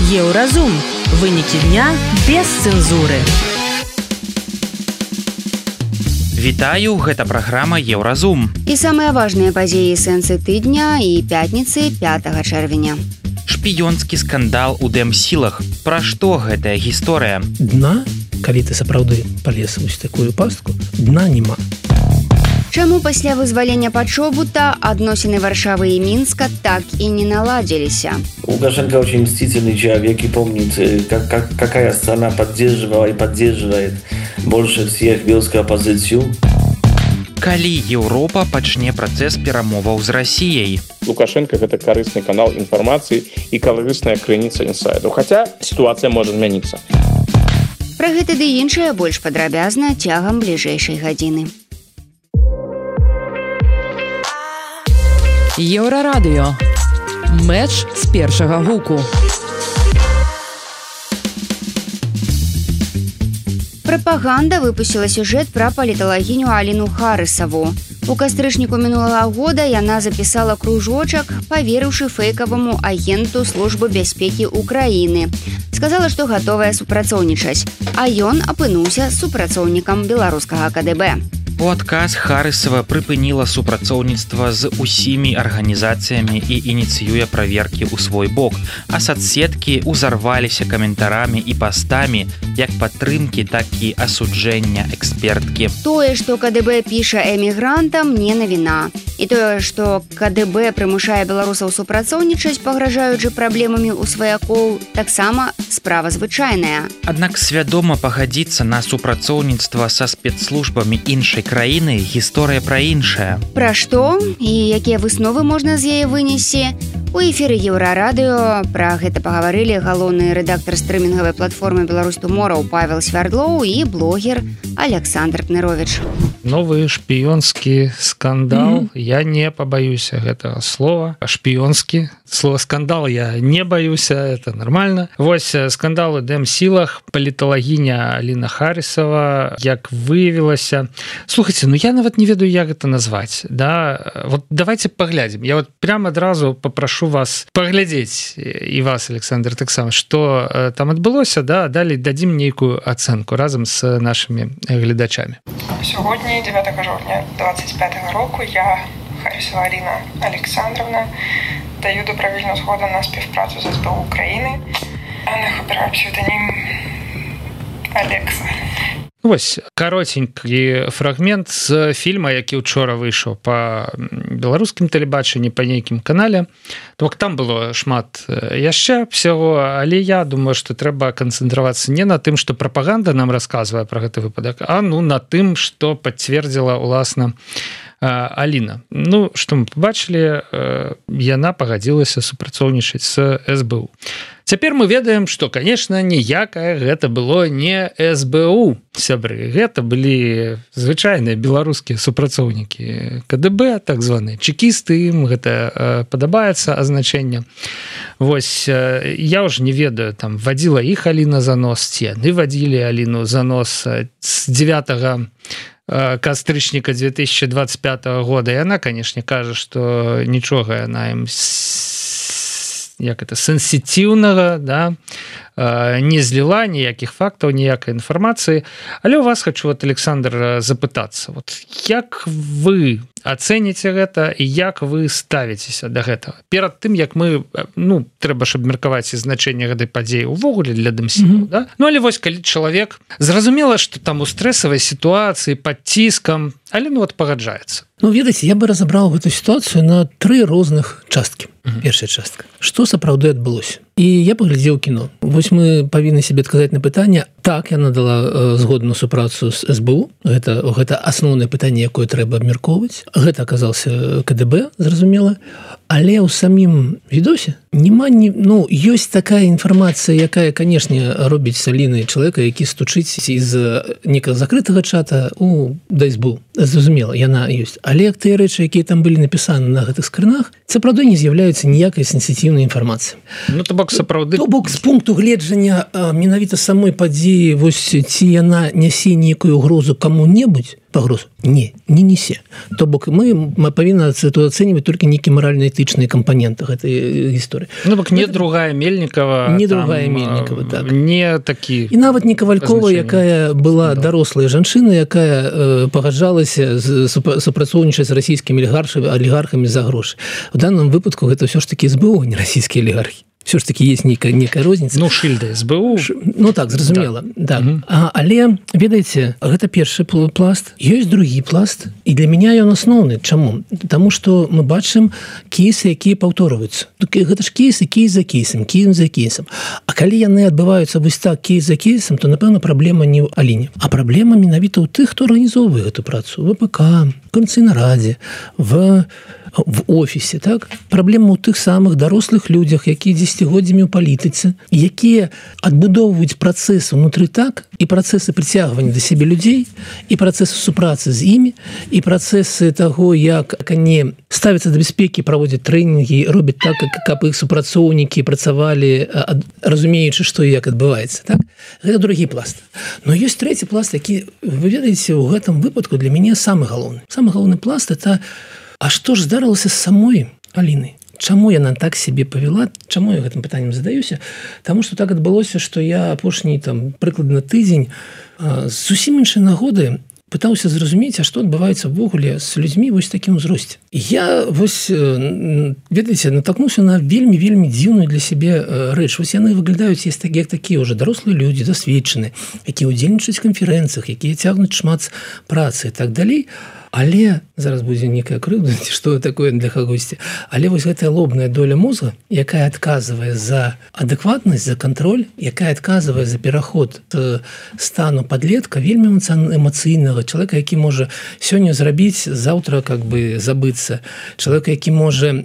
Еўразум. Вынікі дня без цэнзуры. Вітаю, гэта праграма Еўразум. І самыя важныя падзеі і сэнсы тыдня і пятніцы 5 чэрвеня. Шпіёнскі скандал у дэмсілах. Пра што гэтая гісторыя? Дна, калі ты сапраўды палез вось такую пастку, дна няма. Чаму пасля вызвалення Пачобута адносіны Варшавы і Мінска так и не наладились? Лукашенко очень мстительный человек и помнит, какая страна поддерживала и поддерживает больше всех белскую оппозицию. Калі Еўропа пачне працэс перамоваў з Расіяй? Лукашенко – гэта карысны канал інфармацыі і карысная крыніца інсайдаў. Хаця сітуацыя можа змяніцца. Пра гэта ды іншае больш падрабязна цягам бліжэйшай гадзіны. Еўрарадыё. Мэч з першага гуку. Прапаганда выпусціла сюжэт пра паліталагіню Аліну Харысаву. У кастрычніку мінулага года яна запісала кружочак, паверыўшы фэйкаваму агенту Службы бяспекі Украіны. Сказала, што гатовая супрацоўнічаць, а ён апынуўся супрацоўнікам беларускага КДБ. У адказ Харысава прыпыніла супрацоўніцтва з усімі арганізацыямі і ініцыюе праверкі ў свой бок, а соцсеткі ўзарваліся каментарамі і пастамі як падтрымкі, так і асуджэння эксперткі. Тое, што КДБ піша эмігрантам, не навіна. І тое, што КДБ прымушае беларусаў супрацоўнічаць, пагражаючы праблемамі ў сваякоў, таксама справа звычайная. Аднак свядома пагадзіцца на супрацоўніцтва са спецслужбамі іншай краіны гісторыя пра іншае. Пра што і якія высновы можна з яе вынесці? У эфіры Еўрарадыё пра гэта пагаварылі галоўны рэдактар стрымінгавай платформы «Беларусь Туморроу» Павел Свярдлоў і блогер Александр Кнырович. Новы шпіёнскі скандал. Я не пабаюся гэтага слова. Шпіёнскі. Слова скандал я не баюся, это нормально. Вось скандал у дэмсілах. Паліталагіня Аліна Харысава, як выявілася. Слухайте, ну я нават не ведаю, як гэта назваць. Да? Вот давайте паглядзім. Я вот прямо адразу попрошу вас паглядзець, і вас, Александр, таксама, што там адбылося, да? Далей дадзім нейкую ацэнку разам з нашымі гледачамі. Сьогодні, 9 жовтня 25 року, я, Харысова Аліна Олександровна, даю добровільну згоду на співпрацю з СБУ України. Я обираю псевдонім Алекса. Вось каротенькі фрагмент з фільма, які учора выйшаў па беларускім тэлебачанні, па нейкім канале. Там было шмат яшчэ всего, але я думаю, што трэба канцэнтравацца не на тым, што прапаганда нам расказвае пра гэты выпадак, а на тым, што пацвердзіла уласна Аліна. Ну, што мы побачылі, яна пагадзілася супрацоўнічаць з СБУ. Цяпер мы ведаем, што, конечно, ніякае гэта было не СБУ, сябры. Гэта былі звычайныя беларускія супрацоўнікі КДБ, так званыя чекісты, ім гэта падабаецца азначэнне. Вось, я ўжо не ведаю, там, вадзіла іх Аліна за нос, ці яны вадзілі Аліну за нос з 9 кастрычніка 2025 года. Яна, конечно, кажа, што нічога яна ім як это сенсітыўнага, да, не зліла ніякіх фактаў, ніякай інфармацыі. Але у вас хочу, Александр, запытацца. Вот, як вы ацэніце гэта і як вы ставіцеся да гэтага? Перад тым, як мы, трэба ж абмеркаваць і значэнне гэтай падзеі ўвогуле для дэмсілаў, да? Ну, але вось, калі чалавек, зразумела, што там у стрэсавай сітуацыі, пад ціскам, але пагаджаецца. Ну, ведаеце, я бы разабраў гэту сітуацыю на 3 розных часткі. Першая частка. Што сапраўды адбылося? І я паглядзеў кіно. Вось мы павінны себе адказаць на пытанне. Так, яна дала згоду на супрацу з СБУ. Гэта асноўнае пытанне, якое трэба абмяркоўваць. Гэта аказаўся КДБ, зразумела. Але ў самім відосе няма ёсць такая інфармацыя, якая, канешне, робіць з Алінай чалавека, які стучыць з некага закрытага чата да СБУ. Зразумела, яна ёсць. Але тыя рэчы, якія там былі напісаны на гэтых скрынах, сапраўды не з'яўляюцца ніякай сенсітыўнай інфармацыі. То бок бок сапраўды то бок з пункту гледжання менавіта самой падзеі вось ці яна нясе нейкую угрозу каму-небудзь пагрозу не несе то бок мы павінны ацэньваць толькі нейкі маральна-этычныя кампаненты гэтай гісторыі бок не другая Мельнікова не другая Мельнікова так не такі і нават не Кавалькова якая была дарослая жанчына якая пагаджалася супрацоўнічаць з расійскімі алігархамі за грошы у данном выпадку гэта ўсё ж такі СБУ не расійскія алігархі все ж таки есть некая розніца шыльда СБУ так зразумела да. Але ведаеце гэта першы пласт ёсць другі пласт і для меня ён асноўны чаму тому что мы бачым кейсы якія паўторваюцца гэта ж кейсы кейс за кейсам а калі яны адбываюцца вось так кейс за кейсам то напэўна праблема не ў Аліне а праблема менавіта ў тых хто арганізоўвае гэту працу ВПК Координацыйнарадзе в офісе так праблема ў тых самых дарослых людзях якія дзесяцігоддзямі ў палітыцы якія адбудоўваюць працэсы унутры так і працэсы прыцягвання да сябе людзей і працэсы супрацы з імі і працэсы таго як они ставяцца да бяспекі праводзяць трэнінгі робяць так каб іх супрацоўнікі працавалі разумеючы што і як адбываецца так гэта другі пласт но ёсць трэці пласт які вы ведаеце у гэтым выпадку для мяне самы галоўны пласт это а што ж здарылася з самой Алінай? Чаму яна так себе павяла? Чаму я гэтым пытаннем задаюся? Таму што так адбылося, што я апошні прыкладна тыдзень з зусім іншай нагоды пытаўся зразумець, а што адбываецца ўвогуле з людзьмі вось такім узросце. Я вось, ведаеце, натолкнуўся на вельмі дзіўную для сябе рэч. Вось яны выглядаюць як такія ўжо дарослыя людзі, дасведчаныя, якія ўдзельнічаюць канферэнцыях, якія цягнуць шмат працы і так далей. Але зараз будзе некая крыўда, ці што такое для кагосьці. Але вось гэтая лобная доля мозга, якая адказвае за адэкватнасць, за кантроль, якая адказвае за пераход стану падлетка, вельмі эмацыйнага чалавека, які можа сёння зрабіць, заўтра забыцца. Чалавека, які можа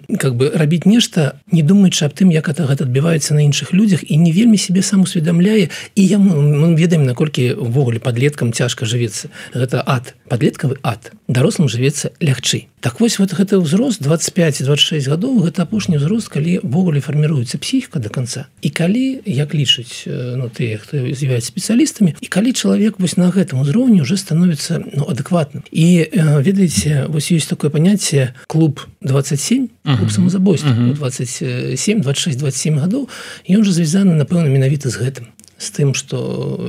рабіць нешта, не думаючы аб тым, як гэта адбіваецца на іншых людзях і не вельмі сябе сам усведамляе. І мы ведаем, наколькі ўвогуле падлеткам цяжка жывецца. Гэта ад, падлеткавы ад. Дарослым жывецца лягчэй. Так вось гэты ўзрост 25-26 гадоў гэта апошні ўзрост, калі ввогуле фарміруецца псіхіка до конца. І калі, як лічаць тыя, хто з'яўляюцца спецыялістамі, і калі чалавек вось на гэтым узроўні уже становіцца адэкватным. І ведаеце, вось ёсць такое паняцце клуб 27, клуб самазабойства 27, 26, 27 гадоў, і ён жа звязаны, напэўна, менавіта з гэтым. З тым, што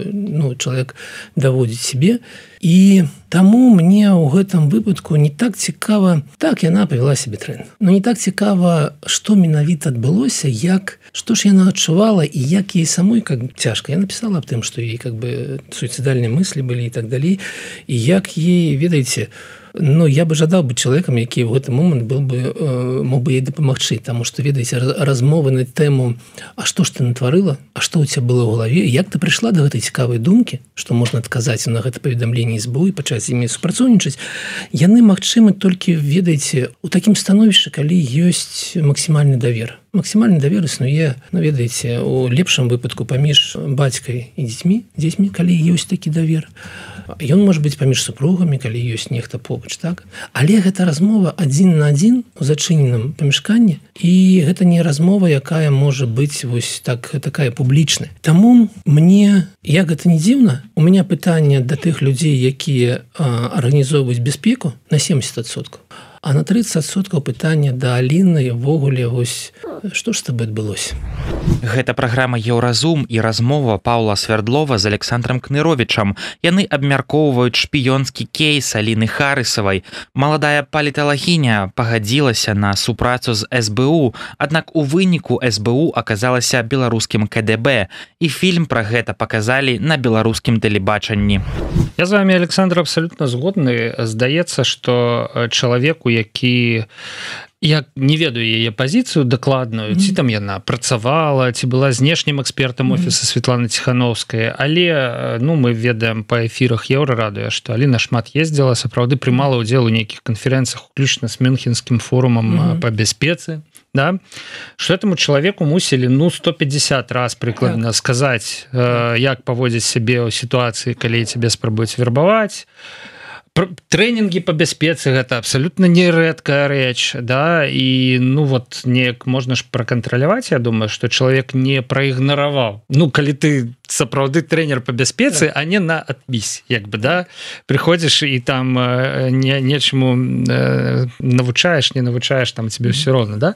чалавек даводзіць сябе. І таму мне ў гэтым выпадку не так цікава, так яна павяла сябе дрэнна. Но не так цікава, што менавіта адбылося, што ж яна адчувала і як ей самой цяжка. Я напісала аб тым, што ей суіцыдальныя мыслі былі і так далей. І як ей, ведаеце, я бы жадаў быць чалавекам, які ў гэты момант мог бы ей дапамагчы, таму што, ведаеце, размовы на тэму «А што ж ты натварыла? А што ў цябе было ў галаве? Як ты прыйшла да гэтай цікавай думкі, што можна адказаць на гэта паведамленне СБУ і пачаць з імі супрацоўнічаць?» Яны магчымы толькі, ведаеце, у такім становішчы, калі ёсць максімальны давер. Максімальны давер існуе, ведаеце, у лепшым выпадку паміж бацькай і дзецьмі, калі ёсць такі давер. Ён можа быць паміж супругамі, калі ёсць нехта побач, так? Але гэта размова адзін на адзін у зачыненым памяшканні, і гэта не размова, якая можа быць вось такая публічная. Таму мне, як гэта не дзіўна, у мяне пытанне да тых людзей, якія арганізоўваюць бяспеку на 70%. А на 30% пытання да Аліны ўвогуле вось што ж з табой адбылося. Гэта праграма Еўразум і размова Паўла Свярдлова з Александрам Кныровічам. Яны абмяркоўваюць шпіёнскі кейс Аліны Харысавай. Маладая паліталагіня пагадзілася на супрацу з СБУ, аднак у выніку СБУ аказалася беларускім КДБ, і фільм пра гэта паказалі на беларускім тэлебачанні. Я з вами, Александр, абсалютна згодны. Здаецца, што чалавеку, які я не ведаю яе пазіцыю дакладную, ці там яна працавала, ці была знешнім экспертам офіса Светланы Ціхановскай, але мы ведаем па эфірах Еўрарадыё, што Аліна шмат ездзіла, сапраўды прымала ўдзел у нейкіх канферэнцыях, уключна з Мюнхенскім форумам па бяспецы. Да? Што этому чалавеку мусілі 150 раз прыкладна сказаць, як паводзіць сябе ў сітуацыі, калі цябе спрабуюць вербаваць, трэнінгі по бяспецы гэта абсолютно нерэдкая рэч, да, і ну вот неяк можна ж пракантраляваць. Я думаю, что чалавек не праігнараваў. Ну калі ты сапраўды трэнер по бяспецы, а не на адпіс, як бы, да, прыходзіш і там нечаму навучаеш, не навучаеш, там тебе все роўна, да.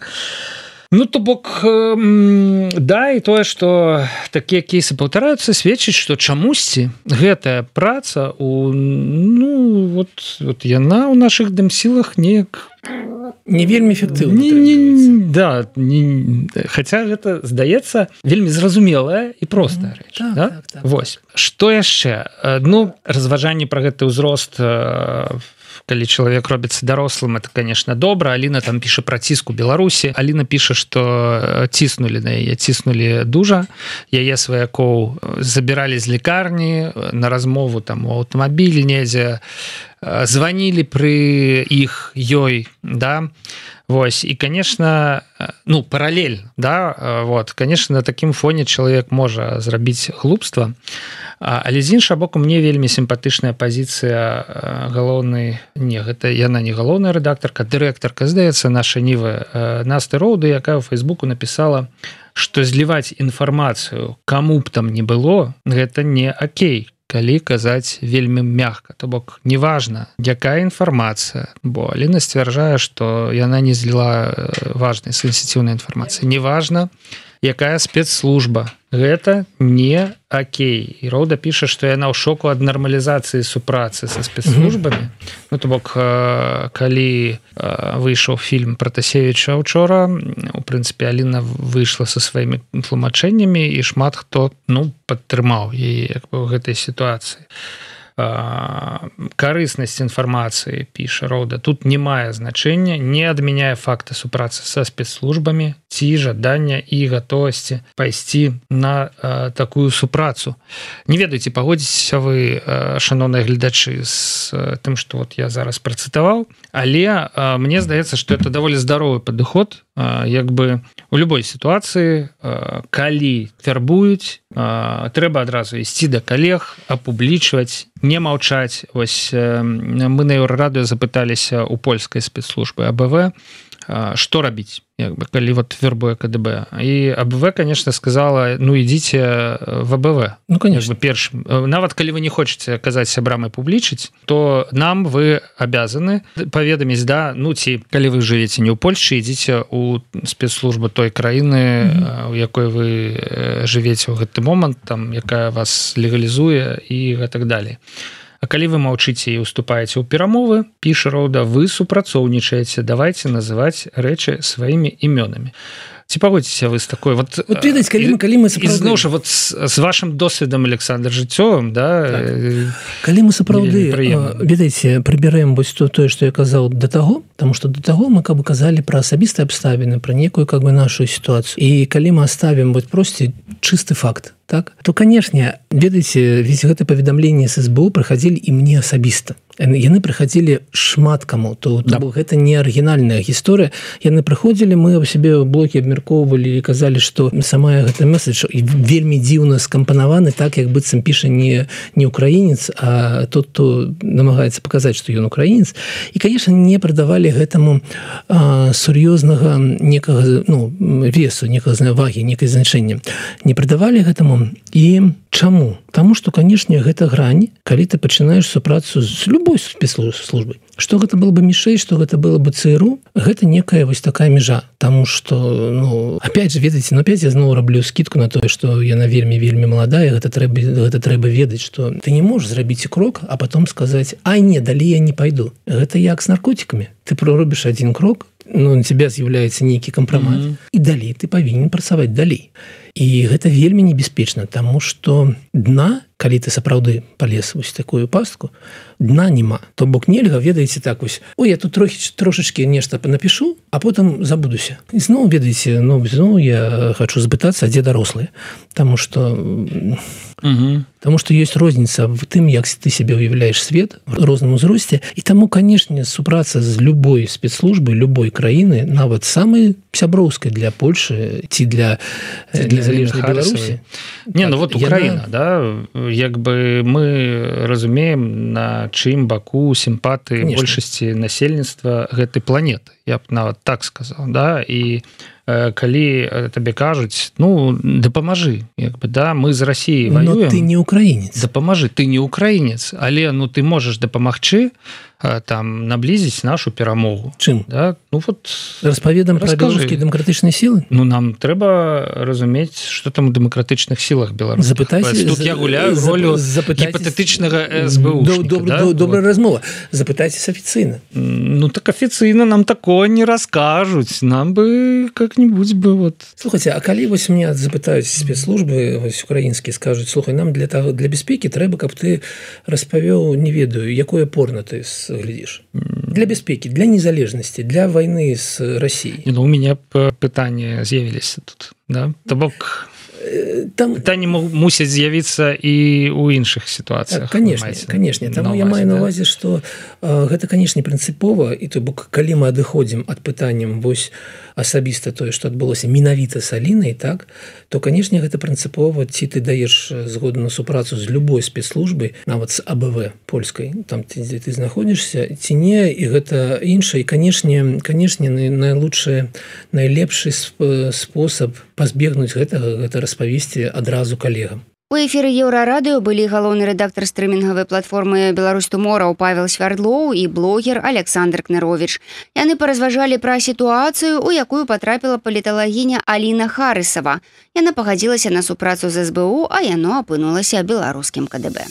Ну, то бок, да, і тое, што такія кейсы паўтараюцца, сведчыць, што чамусьці гэтая праца ну, вот яна ў нашых дэмсілах неяк не вельмі эфектыўна. Да, хаця гэта, здаецца, вельмі зразумелая і простая рэч. Так, да? так. Вось. Што яшчэ? Ну, разважанні пра гэты ўзрост, калі чалавек робіцца дарослым, это, конечно, добра. Аліна там піша пра ціск у Беларусі. Аліна піша, што ціснулі на яе, ціснулі дужа. Яе сваякоў забіралі з лекарні на размову там у аўтамабілі недзе, званілі пры іх ёй, да. Вось, і, конечно, ну, паралель, да, вот, конечно, на такім фоне чалавек можа зрабіць глупства, але з іншага боку, мне вельмі сімпатычная пазіцыя галоўнай, не, гэта яна не галоўная рэдактарка, дырэктарка, здаецца, наша Нівы Насты Роуды, якая ў Фейсбуку напісала, што зліваць інфармацыю каму б там не было, гэта не окей. Калі казаць вельмі мякка, то бок неважна, якая інфармацыя, бо Аліна сцвярджае, што яна не зліла важнай сенсітыўнай інфармацыі. Неважна, якая спецслужба, гэта не окей. І Роуда піша, што яна ў шоку ад нармалізацыі супрацы са спецслужбамі. Ну, то бок, калі выйшаў фільм Пратасевіча учора, у прынцыпе, Аліна выйшла са сваімі тлумачэннямі, і шмат хто, ну, падтрымаў яе як бы ў гэтай сітуацыі. Карыснасць інфармацыі, піша Роуда, тут не мае значэння, не адмяняе факта супрацы са спецслужбамі ці жадання і гатовасці пайсці на такую супрацу. Не ведаеце, пагодзіцеся вы, шаноўныя гледачы, з тым, што вот я зараз працытаваў, але мне здаецца, што это даволі здаровы падыход, як бы у любой сітуацыі, калі фарбуюць, трэба адразу ісці да калег, апублічваць, не маўчаць. Вось мы на Еўрарадыё запыталіся у польскай спецслужбы АБВ, што рабіць, як бы, калі вот вербуе КДБ. І АБВ, конечно, сказала, ну, ідзіце в АБВ. Ну, конечно. Першым. Нават калі вы не хочаце казаць сябрам і публічыць, то нам вы абязаны паведаміць, да, ну, ці калі вы жывеце не ў Польшчы, ідзіце ў спецслужбу той краіны, у якой вы жывеце ў гэты момант, там, якая вас легалізуе і гэтак далей. А калі вы маўчыце і уступаеце ў перамовы, піша Роуда, вы супрацоўнічаеце, давайце называць рэчы сваімі імёнамі. Ці пагодзіцеся вы з такой? Вот ведаць, калі мы сапраўды... І зноў жа, вот з вашым досведам, Александр, жыццёвым, да? Так. Калі мы сапраўды, ведаеце, прыбярэм вось тое, што я казаў да таго, таму што да таго мы каб казалі пра асабістыя абставіны, пра некую как бы нашу сітуацыю. І калі мы аставім вот просты чысты факт, так, то, канешне, ведаеце, ведь гэта паведамленне з СБУ прыхадзілі і мне асабіста. Яны прыхадзілі шмат каму, то гэта не арыгінальная гісторыя. Яны прыходзілі, мы ў сябе ў блоке абмяркоўвалі і казалі, што сама гэта месседж вельмі дзіўна скампанаваны, так, як быццам піша не украінец, а тот, хто намагаецца паказаць, што ён украінец. І, канешне, не прадавалі гэтаму сур'ёзнага некага, ну, весу, некага вагі, некае значэнне. Не прадавалі гэтаму. І чаму? Таму што, канешне, гэта грань, калі ты пачынаеш супрацу з любой спецслужбай. Што гэта было бы мішэй, што гэта было бы ЦРУ, гэта некая вось такая межа. Таму што, ну, опять же, ведаеце, ну, опять я зноў раблю скидку на тое, што яна вельмі маладая, гэта трэба ведаць, што ты не можаш зрабіць крок, а потом сказаць, а не, далей я не пайду. Гэта як з наркотикамі. Ты проробіш один крок, ну, на тебя з'яўляецца нейкі кампрамат, і далей ты павінен працаваць далей. І гэта вельмі небяспечна, таму што дна, калі ты сапраўды палез вось такую пастку, дна няма. То бок нельга, ведаеце, так вось, ой, я тут трошачкі нешта напишу, а потым забудуся. І зноў, ведаеце, ну, зноў я хочу збытацца, а дзе дарослыя. Таму што... Таму што ёсць розніца в тым, як ты себе уяўляеш свет в розным узросце. І таму, канешне, супраца з любой спецслужбы, любой краіны, нават самай сяброўскай для Польшы ці для незалежнай Беларусі. Не, ну вот Украіна, да, як бы мы разумеем на на чым баку сімпатыі большасці насельніцтва гэтай планеты, я б нават так сказаў, да, і калі табе кажуць, ну дапамажы, як бы, да, мы з Расіяй воюем. Но ты не украінец. Дапамажы, ты не украінец, але ну ты можаш дапамагчы там наблізіць нашу перамогу. Чым? Да? Ну вот распаведам пра беларускія дэмакратычныя сілы? Ну нам трэба разумець, што там у дэмакратычных сілах беларускіх. Тут я гуляю ролю гіпатэтычнага СБУшніка. Добрая размова. Запытайцеся афіцыйна. Ну так афіцыйна нам такое не раскажуць. Нам бы как-нибудь бы вот. Слухайце, а калі вось меня запытаюць спецслужбы вось украінскія, скажуць, слухай, нам для бяспекі трэба, каб ты распавёў, не ведаю, якое порно ты глядишь. Для бяспекі, для незалежнасці, для войны с Россией. Ну, у меня пытанне з'явіліся тут, да? То бок там пытанне мусяць з'явіцца і ў іншых сітуацыях. Конечно. Таму я маю на ўвазе, што гэта, конечно, прынцыпова, і то бок, калі мы адыходзім ад пытанням вось асабіста тое, што адбылося менавіта з Алінай, так, то, конечно, гэта прынцыпова, ці ты даеш згоду на супрацу з любой спецслужбай, нават з АБВ польскай, там, дзе ты знаходзішся, ці не, і гэта іншае. І, конечно, найлепшы спосаб пазбегнуць гэтага, гэта распавесці адразу калегам. У эфіры Еўрарадыё былі галоўны рэдактар стрымінгавай платформы «Беларусь Туморроу» Павел Свярдлоў і блогер Александр Кныровіч. Яны паразважалі пра сітуацыю, у якую патрапіла паліталагіня Аліна Харысава. Яна пагадзілася на супрацу з СБУ, а яно апынулася беларускім КДБ.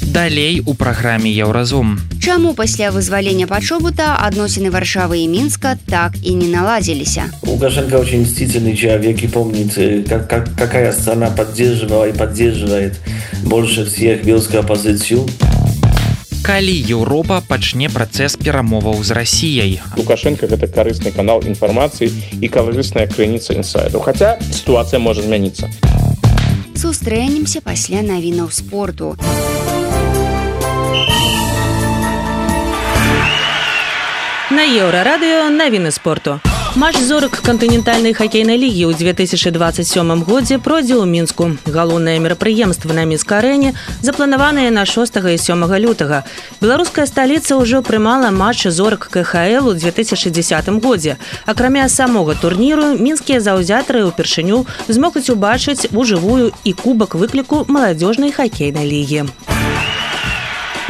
Далей у праграме «Еўразум». Чаму пасля вызвалення Пачобута адносіны Варшавы і Мінска так і не наладзіліся? Лукашенко очень мстительный человек и помнит, какая страна поддерживала и поддерживает больше всех белорусскую оппозицию. Калі Еўропа пачне працэс перамоваў з Расіяй? Лукашенко – гэта карысны канал інфармацыі і карысная крыніца інсайдаў. Хаця сітуацыя можа змяніцца. Сустрэнемся пасля навінаў спорту. На Еўрарадыё навіны спорту. Матч зорак кантынентальнай хакейнай лігі ў 2027 годзе пройдзе ў Мінску. Галоўнае мерапрыемства на Мінск-арэне запланаванае на 6 і 7 лютага. Беларуская сталіца ўжо прымала матч зорак КХЛ у 2010 годзе. Акрамя самога турніру, мінскія заўзятары ўпершыню змогуць убачыць ужывую і кубак выкліку маладзёжнай хакейнай лігі.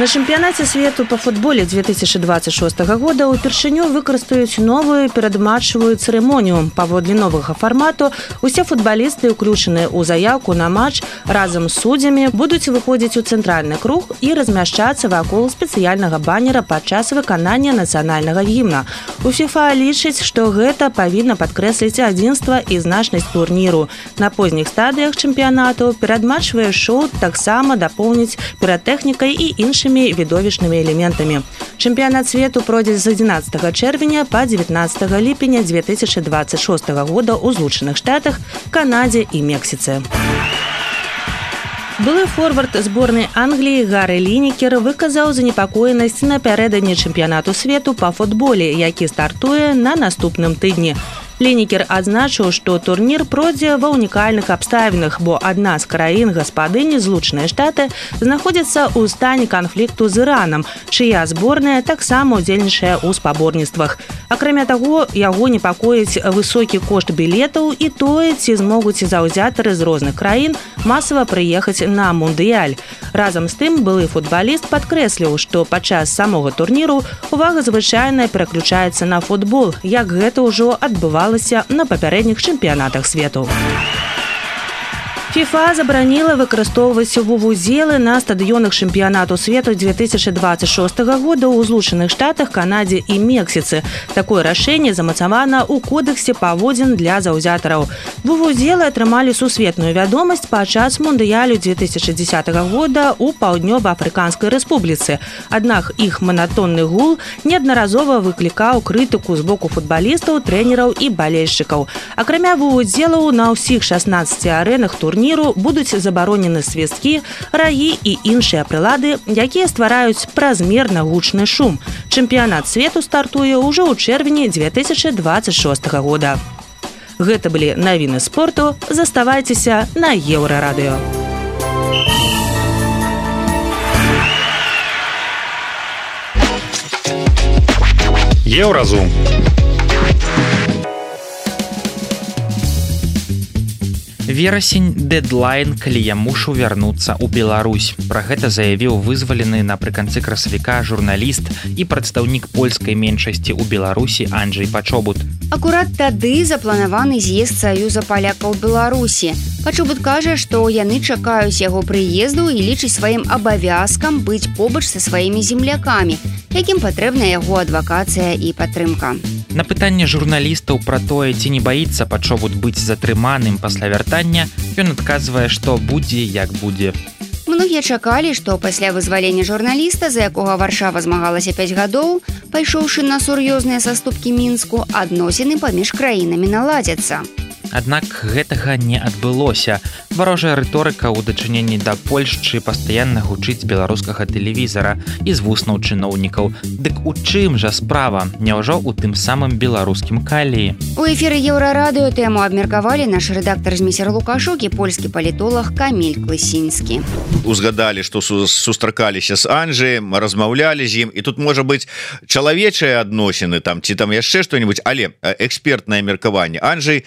На чэмпіянаце свету па футболе 2026 года ўпершыню выкарыстаюць новую перадматчавую цырымонію. Паводле новага фармату усе футбалісты, уключаныя ў заяўку на матч, разам з суддзямі будуць выходзіць у цэнтральны круг і размяшчацца вакол спецыяльнага баннера падчас выканання нацыянальнага гімна. У ФІФА лічыць, што гэта павінна падкрэсліць адзінства і значнасць турніру. На позніх стадыях чэмпіянату перадматчавае шоу таксама дапоўніць піратэхнікай і іншымі відовішнымі элементамі. Чэмпіянат свету пройдзе з 11 чэрвеня па 19 ліпеня 2026 года ў Злучаных Штатах, Канадзе і Мексіцы. Былы форвард зборнай Англіі Гары Лінікер выказаў занепакоенасць напярэдадні чэмпіянату свету па футболе, які стартуе на наступным тыдні. Лінікер адзначыў, што турнір пройдзе ва ўнікальных абставінах, бо адна з краін-гаспадыні, Злучаныя Штаты, знаходзіцца ў стане канфлікту з Іранам, чыя зборная таксама ўдзельнічае ў спаборніцтвах. Акрамя таго, яго непакоіць высокі кошт білетаў і тое, ці змогуць заўзятары з розных краін масава прыехаць на мундыяль. Разам з тым, былы футбаліст падкрэсліў, што падчас самога турніру увага звычайна пераключаецца на футбол, як гэта ўжо адбывалася на папярэдніх чэмпіянатах свету. ФІФА забараніла выкарыстоўваць вувузелы на стадыёнах чэмпіянату свету 2026 года ў Злучаных Штатах, Канадзе і Мексіцы. Такое рашэнне замацавана ў кодексе паводзін для заўзятараў. Вувузелы атрымалі сусветную вядомасць падчас мундыялю 2010 года ў Паўднёва-Афрыканскай Рэспубліцы. Аднак іх манатонны гул неаднаразова выклікаў крытыку з боку футбалістаў, трэнераў і балельшчыкаў. Акрамя вувузелаў на ўсіх 16 арэнах турніру будуць забаронены свісткі, рагі і іншыя прылады, якія ствараюць празмерна гучны шум. Чэмпіянат свету стартуе ўжо ў чэрвені 2026 года. Гэта былі навіны спорту. Заставайцеся на Еўрарадыё. Еўразум. Верасень дэдлайн, калі я мушу вярнуцца ў Беларусь. Пра гэта заявіў вызвалены напрыканцы красавіка журналіст і прадстаўнік польскай меншасці ў Беларусі Анджэй Пачобут. Акурат тады запланаваны з'езд Саюза палякаў Беларусі. Пачобут кажа, што яны чакаюць яго прыезду і лічыць сваім абавязкам быць побач са сваімі землякамі, якім патрэбна яго адвакацыя і падтрымка. На пытанне журналістаў пра тое, ці не баіцца Пачобут быць затрыманым пасля вяртання, ён адказвае, што будзе як будзе. Многія чакалі, што пасля вызвалення журналіста, за якога Варшава змагалася 5 гадоў, пайшоўшы на сур'ёзныя саступкі Мінску, адносіны паміж краінамі наладзяцца. Аднак гэтага не адбылося. Варожая рыторыка ў дачыненні да Польшчы пастаянна гучыць з беларускага тэлевізара і з вуснаў чыноўнікаў. Дык у чым жа справа? Няўжо ў тым самым беларускім каліі? У эфіры Еўрарадыё тэму абмеркавалі наш рэдактар Змейсер Лукашук і польскі палітолог Каміль Клысінскі. Узгадалі, што сустракаліся з Анджэем, размаўлялі з ім, і тут можа быць чалавечыя адносіны там ці там яшчэ што-небудзь, але экспертнае меркаванне. Анджэй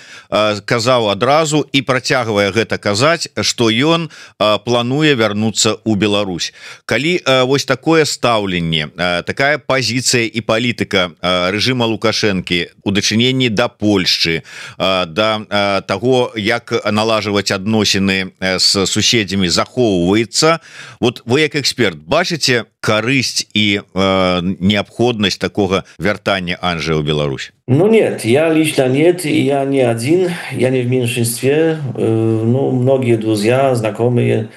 казаў адразу і працягвае гэта казаць, што ён плануе вярнуцца ў Беларусь. Калі вось такое стаўленне, такая пазіцыя і палітыка рэжыма Лукашэнкі у дачыненні да Польшчы, да таго, як налажваць адносіны з суседзямі захоўваецца, вот вы як эксперт бачыце карысць и необходимость такого вяртания Анджэя в Беларусь? Ну нет, я лично нет, и я не один, я не в меньшинстве. Ну, многие друзья, знакомые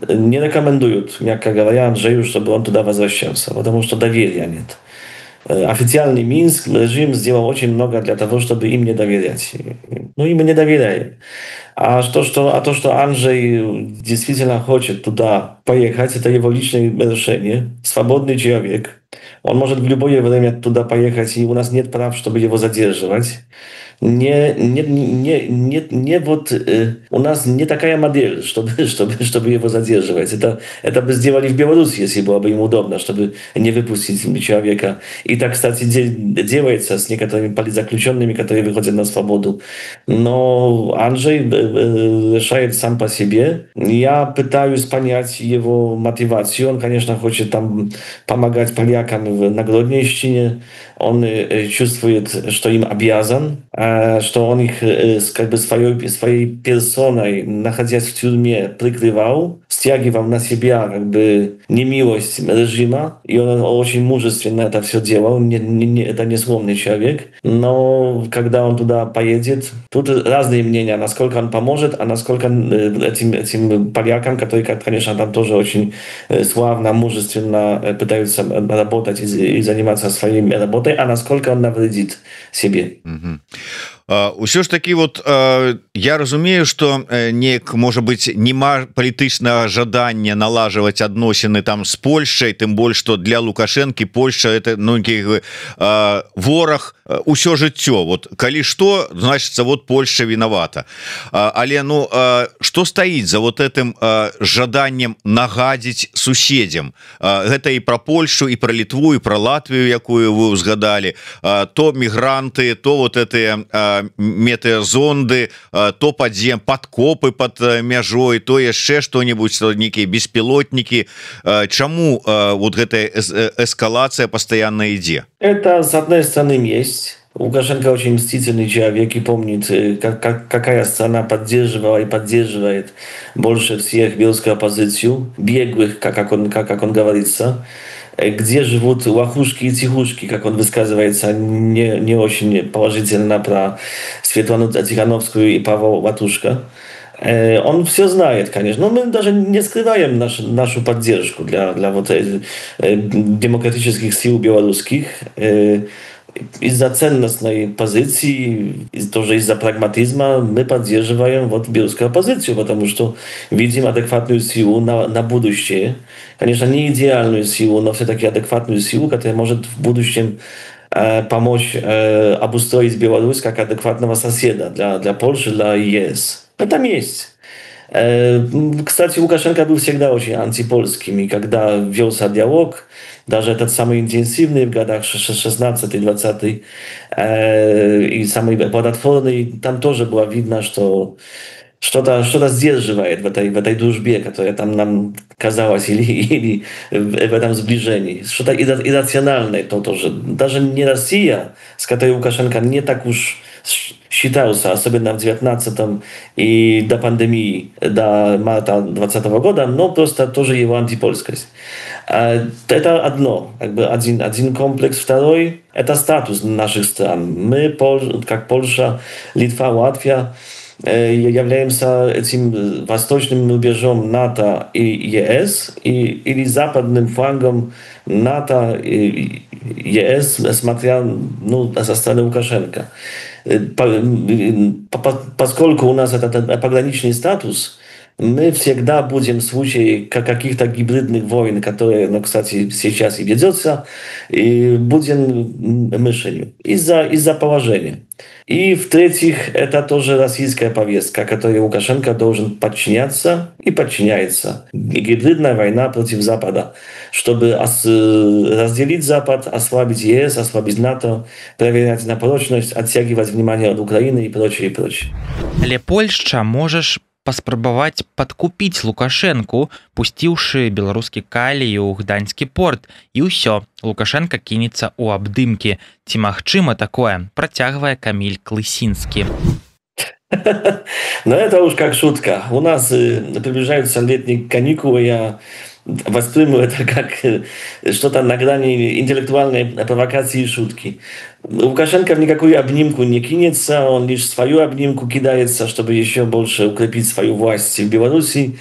не рекомендуют, мягко говоря, Анджею, чтобы он туда возвращался, потому что доверия нет. Официальный Минск, режим сделал очень много для того, чтобы им не доверять. Ну, им не доверяем. А то, что Анджей действительно хочет туда поехать, это его личное решение. Свободный человек. Он может в любое время туда поехать, и у нас нет прав, чтобы его задерживать. У нас не такая модель, чтобы его задерживать. Это бы сделали в Беларуси, если было бы им удобно, чтобы не выпустить человека. И так, кстати, делается с некоторыми политзаключенными, которые выходят на свободу. Но Анджей решает сам по себе. Я пытаюсь понять его мотивацию. Он, конечно, хочет там помогать полякам на Гродненщине. Он чувствует, что им обязан, что он их как бы своей персоной, находясь в тюрьме, прикрывал, стягивал на себя как бы немилость режима, и он очень мужественно это все делал, это не сломный человек, но когда он туда поедет, тут разные мнения, насколько он поможет, а насколько этим полякам, которые, конечно, там тоже очень славно, мужественно пытаются работать и заниматься своей работой, а насколько он навредит себе. Усё ж таки вот я разумею, что неяк можа быть нема палітычнага жадання налажваць адносіны там с Польшай, тым больш что для Лукашэнкі Польша это вораг усё жыццё. Вот калі что, значится вот Польша виновата. Але ну что стаіць за вот этим жаданнем нагадзіць суседзям? Гэта і про Польшу, і про Літву, і про Латвію, якую вы узгадали, то мігранты, то вот этыя метеозонды, то подкопы под мяжой, то яшчэ что-нибудь, некие беспилотники. Чаму вот гэтая эскалация постоянно ідзе? Это с одной стороны есть. Лукашенко очень мстительный человек и помнит, какая страна поддерживала и поддерживает больше всех белорусскую оппозицию, беглых, как он говорится, где живут лохушки и тихушки, как он высказывается не очень положительно про Светлану Тихановскую и Павла Ватушка. Он все знает, конечно, но мы даже не скрываем нашу поддержку для вот демократических сил белорусских. Из-за ценностной позиции, тоже из-за прагматизма мы поддерживаем вот белорусскую оппозицию, потому что видим адекватную силу на будущее. Конечно, не идеальную силу, но все-таки адекватную силу, которая может в будущем помочь обустроить Беларусь как адекватного соседа для Польши, для ЕС. Это есть. Кстати, Лукашенко был всегда очень антипольским, и когда велся диалог, даже этот самый интенсивный в годах 16-20 и самый плодотворный, там тоже было видно, что что-то сдерживает в этой дружбе, которая там нам казалась, или в этом сближении. Что-то иррациональное то тоже. Даже не Россия, с которой Лукашенко не так уж считался, особенно в 19-м и до пандемии, до марта 2020 года, но просто тоже его антипольскость. Это одно, как бы один комплекс. Второй – это статус наших стран. Мы, как Польша, Литва, Латвия, являемся этим восточным рубежом НАТО и ЕС или западным флангом НАТО и ЕС, смотря со стороны Лукашенко. Поскольку у нас этот пограничный статус, мы всегда будем в случае каких-то гибридных войн, которые, кстати, сейчас и ведется, и будем мишенью из-за положения. И в-третьих, это тоже российская повестка, которой Лукашенко должен подчиняться и подчиняется. Гибридная война против Запада, чтобы разделить Запад, ослабить ЕС, ослабить НАТО, проверять на прочность, оттягивать внимание от Украины и прочее, и прочее. Але Польшча можаш паспрабаваць падкупіць Лукашэнку, пусціўшы беларускі калій у гданьскі порт, і ўсё, Лукашенко кінецца ў абдымкі. Ці магчыма такое? Працягвае Каміль Клысінскі. Ну, это уж как шутка. У нас приближаются летние каникулы, я восприму это как что-то на грани интеллектуальной провокации и шутки. Лукашенко в никакую обнимку не кинется, он лишь свою обнимку кидается, чтобы еще больше укрепить свою власть в Беларуси.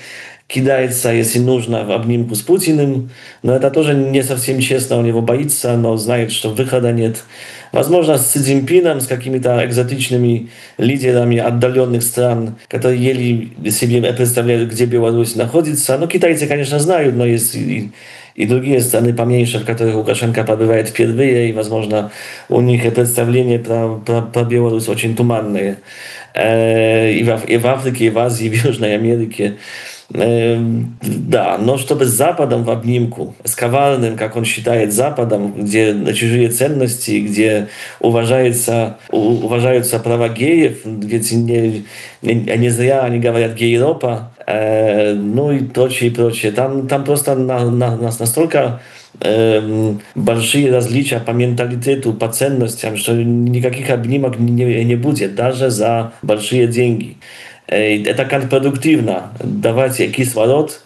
Кидается, если нужно, в обнимку с Путиным. Но это тоже не совсем честно, он его боится, но знает, что выхода нет. Возможно, с Си Цзиньпином, с какими-то экзотичными лидерами отдаленных стран, которые еле себе представляют, где Беларусь находится. Но китайцы, конечно, знают, но есть и другие страны поменьше, в которых Лукашенко побывает впервые, и, возможно, у них представления про Беларусь очень туманные. И в Африке, и в Азии, и в Южной Америке. Да, но чтобы с Западом в обнимку, с коварным, как он считает, Западом, где чужие ценности, где уважаются права геев, ведь не зря они говорят «гейропа», ну и прочее, прочее. Там просто настолько большие различия по менталитету, по ценностям, что никаких обнимок не будет, даже за большие деньги. Это контрпродуктивно. Давать кислород,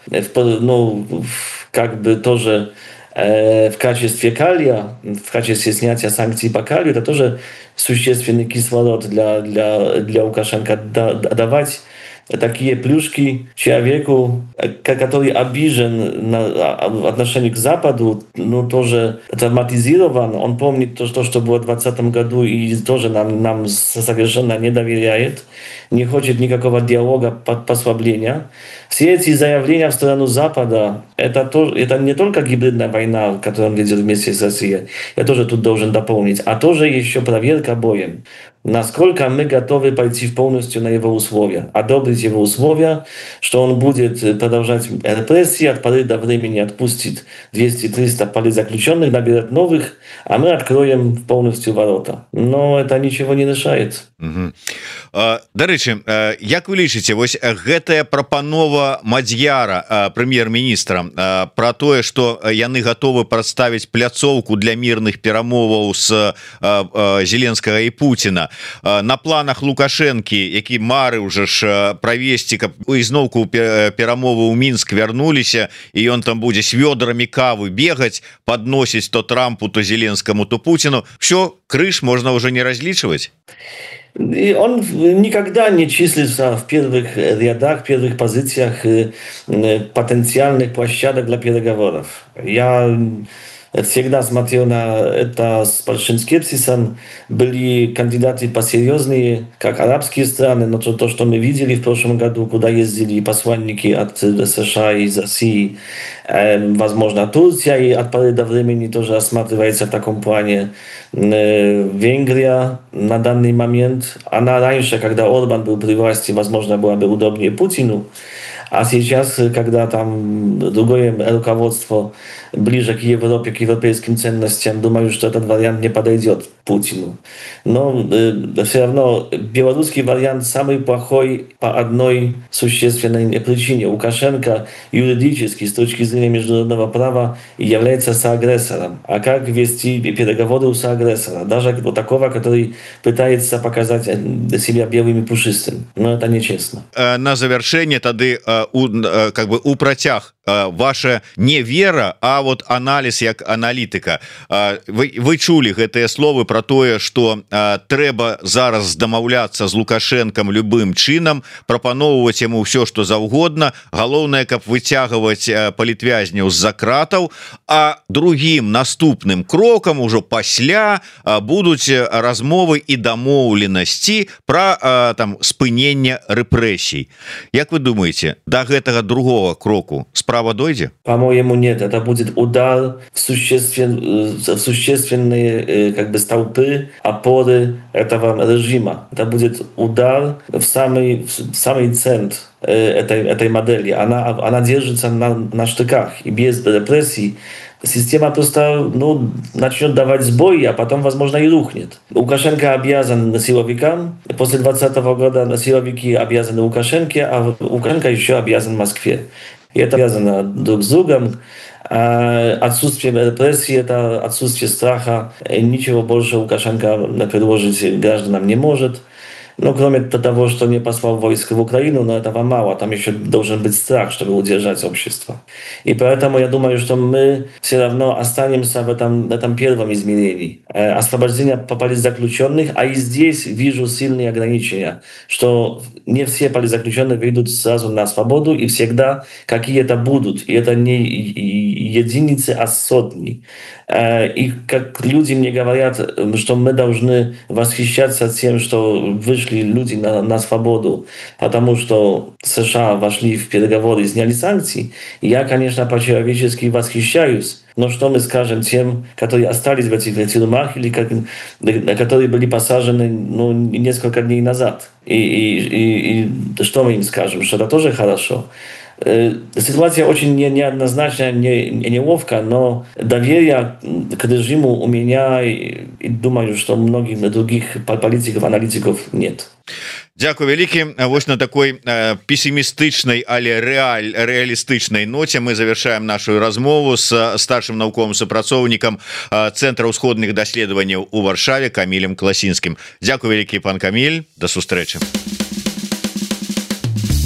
как бы тоже в качестве калия, в качестве снятия санкций по калию, это тоже существенный кислород для Лукашенко. Давать такие плюшки человеку, который обижен в отношении к Западу, тоже травматизирован. Он помнит то, что было в 2020 году, и тоже нам совершенно не доверяет, не хочет никакого диалога, послабления. Все эти заявления в сторону Запада, это не только гибридная война, которую он ведет вместе с Россией, я тоже тут должен дополнить, а тоже еще проверка боем. Насколько мы готовы пойти полностью на его условия, одобрить его условия, что он будет продолжать репрессии, от поры до времени отпустит 200-300 политзаключенных, наберет новых, а мы откроем полностью ворота. Но это ничего не решает. Дарэчы, як вы лічыце, вось гэтая прапанова Мадзьяра, прэм'ер-міністра, про тое, што яны готовы прадставіць пляцоўку для мірных перамоваў з Зеленскага і Пуціна, на планах Лукашэнкі, які марыў уже ж правесці, каб ізноўку перамовы ў Мінск вярнуліся, і ён там будзе с вёдрамі кавы бегаць, подносіць то Трампу, то Зеленскому, то Путину. Все, крыш можно уже не различивать. И он никогда не числится в первых рядах, первых позициях потенциальных площадок для переговоров. Я всегда смотрел на это с большим скепсисом. Были кандидаты посерьезнее, как арабские страны, но то, что мы видели в прошлом году, куда ездили посланники от США и из России, возможно, Турция и от поры до времени тоже рассматривается в таком плане. Венгрия на данный момент, она раньше, когда Орбан был при власти, возможно, была бы удобнее Путину, а сейчас, когда там другое руководство ближе к Европе, к европейским ценностям, думаю, что этот вариант не подойдет Путину. Но все равно белорусский вариант самый плохой по одной существенной причине. Лукашенко юридически, с точки зрения международного права, является соагрессором. А как вести переговоры у соагрессора? Даже вот такого, который пытается показать себя белым и пушистым. Но это нечестно. На завершение тады как бы у працяг ваша не вера, а вот анализ як аналітыка. Вы чулі гэтыя словы про тое, что трэба зараз дамаўляцца з Лукашенком любым чынам, прапаноўваць яму все что заўгодна, галоўнае, каб выцягваць палітвязняў з-за кратаў, а другим наступным крокам ужо пасля будуць размовы і дамоўленасці про там спынення рэпрэсій. Як вы думаете, до гэтага другого кроку справа дойдзе? По-моему, нет. Это будет удар в существенные как бы столпы, опоры этого режима. Это будет удар в самый центр этой модели. Она держится на штыках. И без репрессий система просто начнет давать сбой, а потом, возможно, и рухнет. Лукашенко обязан силовикам. После 2020 года силовики обязаны Лукашенко, а Лукашенко еще обязан Москве. И это связано друг с другом. Отсутствие репрессий, это отсутствие страха. Ничего больше Лукашенко предложить гражданам не может. Ну, кроме того, что не послал войск в Украину, но этого мало. Там еще должен быть страх, чтобы удержать общество. И поэтому я думаю, что мы все равно останемся в этом первом измерении. Освобождение политзаключенных, а и здесь вижу сильные ограничения, что не все политзаключенные выйдут сразу на свободу, и всегда какие-то будут. И это не единицы, а сотни. И как люди мне говорят, что мы должны восхищаться тем, что вышли люди на свободу, потому что США вошли в переговоры и сняли санкции. И я, конечно, по-человечески восхищаюсь. Но что мы скажем тем, которые остались в этих тюрьмах или которые были посажены несколько дней назад? И что мы им скажем? Что это тоже хорошо? Ситуация очень неоднозначная, неловкая, но доверия к режиму у меня и думаю, что многих других политиков, аналитиков нет. Дякую вялікі. Вось на такой пессимистычнай, але реалістычнай ноце мы завершаем нашу размову с старшим навуковым супрацоўнікам Центра ўсходных даследаванняў у Варшаве Камілем Класінскім. Дякую вялікі, пан Каміль, да сустрэчы.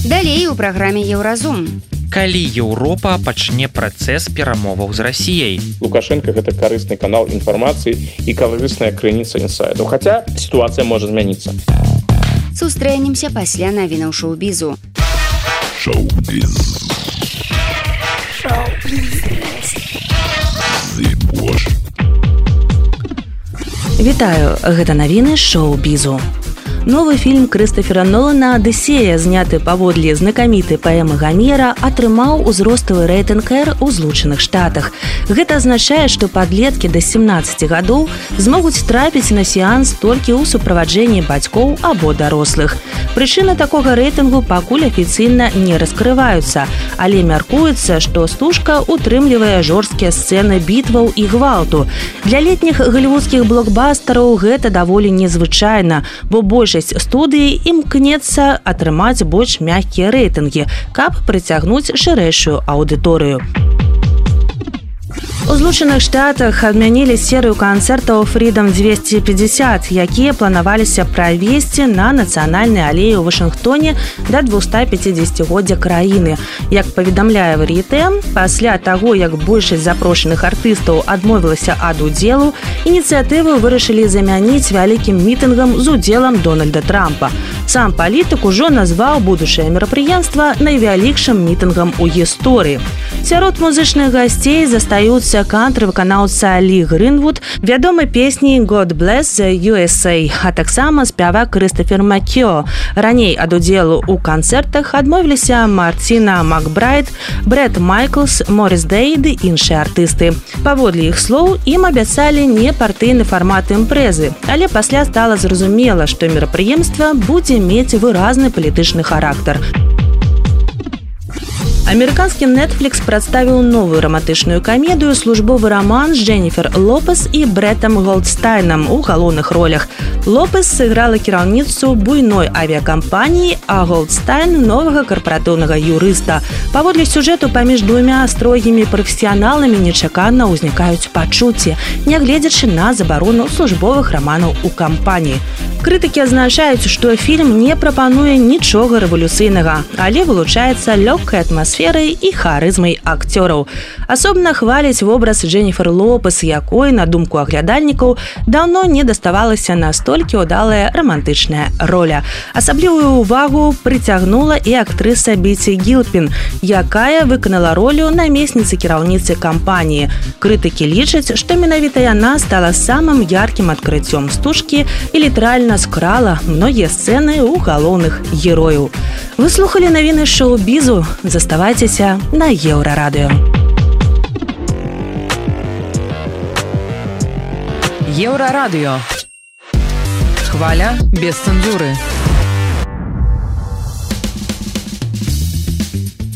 Далей у праграме Еўразум. Калі Еўропа пачне працэс перамоваў з Расіяй? Лукашенко гэта карысны канал інфармацыі і карысная крыніца інсайдаў. Хаця сітуацыя можа змяніцца. Сустрэнемся пасля навінаў шоу-бізу. Шоу-біз. Вітаю, гэта навіны шоу-бізу. Новы фільм Крыстофера Нолана «Адысея», зняты паводле знакамітай паэмы Гамера, атрымаў узроставы рэйтынг R у Злучаных Штатах. Гэта азначае, што падлеткі да 17 гадоў змогуць трапіць на сеанс толькі ў суправаджэнні бацькоў або дарослых. Прычыны такога рэйтынгу пакуль афіцыйна не раскрываюцца, але мяркуецца, што стужка утрымлівае жорсткія сцэны бітваў і гвалту. Для летніх галівудскіх блокбастараў гэта даволі незвычайна, бо большасць студыі імкнецца атрымаць больш мяккія рэйтынгі, каб прыцягнуць шырэйшую аўдыторыю. У Злучаных Штатах адмянілі серыю канцэртаў Freedom 250, якія планаваліся правесці на нацыянальнай алеі ў Вашынгтоне да 250-годдзя краіны. Як паведамляе Вар'етэ, пасля таго, як большасць запрошаных артыстаў адмовілася ад удзелу, ініцыятыву вырашылі замяніць вялікім мітынгам з удзелам Дональда Трампа. Сам палітык ужо назваў будучае мерапрыемства найвялікшым мітынгам у гісторыі. Сярод музычных гасцей застаюцца кантры-выканаўца Лі Грынвуд, вядомы песні «God Bless the USA», а таксама спявак Крыстафер Маккео. Раней ад удзелу ў канцэртах адмовіліся Марціна Макбрайт, Брэд Майклс, Морис Дэй ды іншыя артысты. Паводле іх слоў, ім абяцалі не партыйны фармат імпрэзы, але пасля стала зразумела, што мерапрыемства будзе мець выразны палітычны характар. Амерыканскі Netflix прадставіў новую рамантычную камедыю «Службовы роман» з Дженніфер Лопес і Брэтам Голдстайнам у галоўных ролях. Лопес сыграла кіраўніцу буйной авіякампаніі, а Голдстайн – новага карпаратыўнага юрыста. Паводле сюжэту паміж двумя строгімі прафесіяналамі нечакана ўзнікаюць пачуцці, нягледзячы на забарону службовых раманаў у кампаніі. Крытыкі адзначаюць, што фільм не прапануе нічога рэвалюцыйнага, але вылучаецца лёгкай атмасферай і харызмай акцёраў. Асобна хваляць вобраз Дженніфер Лопес, якой, на думку аглядальнікаў, даўно не даставалася настолькі ўдалая рамантычная роля. Асаблівую ўвагу прыцягнула і актрыса Біці Гілпін, якая выканала ролю намесніцы кіраўніцы кампаніі. Крытыкі лічаць, што менавіта яна стала самым яркім адкрыццём стужкі і літаральна скрала многія сцэны ў галоўных герояў. Вы слухалі навіны шоу-бізу. Заставайцеся на Еўрарадыё. Еўрарадыё. Хваля без цэнзуры.